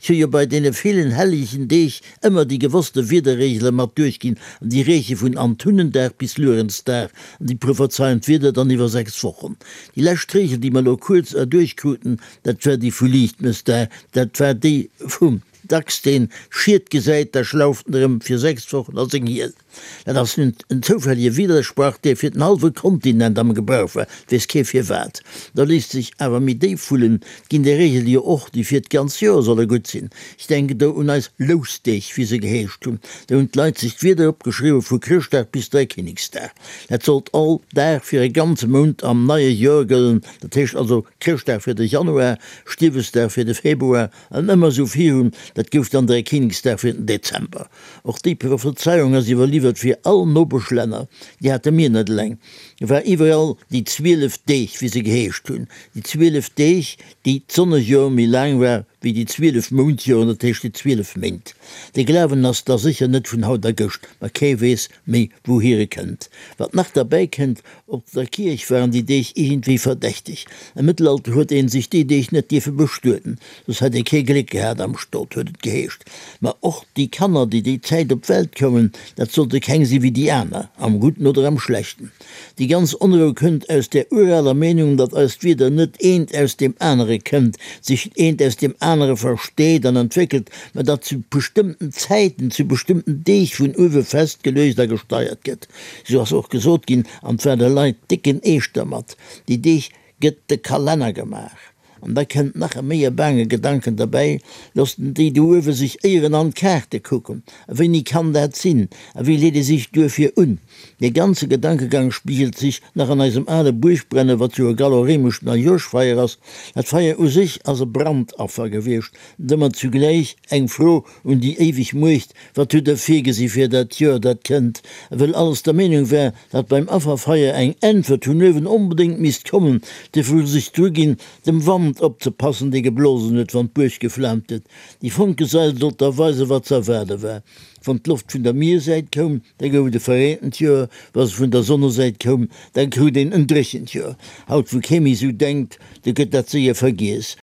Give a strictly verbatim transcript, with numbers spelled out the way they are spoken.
Ech hu jo bei deene villen hellegen Deeg ëmmer déi gewosste Wiederregele mat duerchginn, an déi reeche vun Antunnendag bis Luerenzdag, an déi prophezeien d'Wieder dann iwwer sechs Wochen. Déi lescht Regel, déi mer elo kuerz erduerchkruten, dat war déi vu Liichtmëssdag, dat war déi vum Dachs, deen Schied gesäit, da schlauft en erëm fir sechs Wochen a seng Hiel. Dat ass nun en zoufällige Widdersprach, dee fir den hallwe Kontinent am Gebrauch war, 't weess kee firwat. Da léisst sech awer méi déif wullen, 't ginn där Regele jo och, déi fir d'ganz Joer solle gutt sinn. Ech denken do un eis Lousdeeg, wéi se geheescht hunn. Do hunn d'Leit sech d'Wieder opgeschriwwen, vu Chrëschtdag bis Dräikinneksdag. Dat sollt all Dag fir e ganze Mount am neie Joer gëllen, dat heescht also Chrëschtdag fir de Januar, Stiewesdag fir de Februar an ëmmer esou virun. Dat gouf dann Dräikinneksdag fir den Dezember. Och déi Prophezeiung ass iwwerliwwert fir all Nopeschlänner, déi hate mir net eleng. Et war iwwerall déi zwielef Deeg, wéi se geheescht hunn, déi zwielef Deeg, déi d'Sonnejoer méi laang war wéi déi zwielef Moundjoren, dat heescht déi zwielef Méint. Dee Glawen ass da sécher net vun haut a gëscht, ma kee weess méi wouhier e kënnt. Wat nach derbäi kënnt, Op der Kierch waren déi Deeg iergendwéi verdächteg. Am Mëttelalter huet een sech déi Deeg net dierfe bestueden, soss hätt ee kee Gléck gehat am Stot, huet et geheescht. Ma och déi Kanner, déi déi Zäit op d'Welt koumen, dat sollte keng si wéi déi aner, am Gudden oder am Schlechten. Déi ganz Onrou kënnt aus där uraler Meenung, datt eist Wieder net eent aus deem anere kënnt, sech eent aus deem anere versteet an entwéckelt, mä datt zu bestëmmten Zäiten, zu bestëmmten Deeg vun uewe festgeluecht a gesteiert gëtt. Sou ass och gesot ginn, an 't war de Leit décken Eescht dermat, déi Deeg gëtt de Kalenner gemaach. An da kënnt nach e méi e baange Gedanken derbäi, Loossen déi do uewe sech éieren an d'Kaarte kucken? A wéini kann dat sinn? A wéi leet ee sech duerfir un? Dee ganze Gedankegang spigelt sech nach an eisem ale Buergbrennen, wat jo e gallo-réimescht Neijoerschfeier ass. Dat Feier u sech ass e Brandaffer gewiescht, domat zugläich eng Fro un déi éiweg Muecht, Wat hutt Der virgesi fir dat Joer, dat kënnt? A wëll alles der Meenung war, datt beim Afferfeier eng Äntwert vun uewen onbedéngt misst kommen, duerfir hu se sech druginn, dem Wand opzepassen, dee geblosen huet, wann d'Buerg geflaamt huet. Déi Fonkesail sollt da weisen, wat ze erwaarde war. Wann d'Loft vun der Miersäit koum, da gouf et e verreent Joer, wa se vun der Sonnesäit koum, da krut een en dréchent Joer. Haut, wou kee méi esou denkt, do gëtt dat séier vergiess.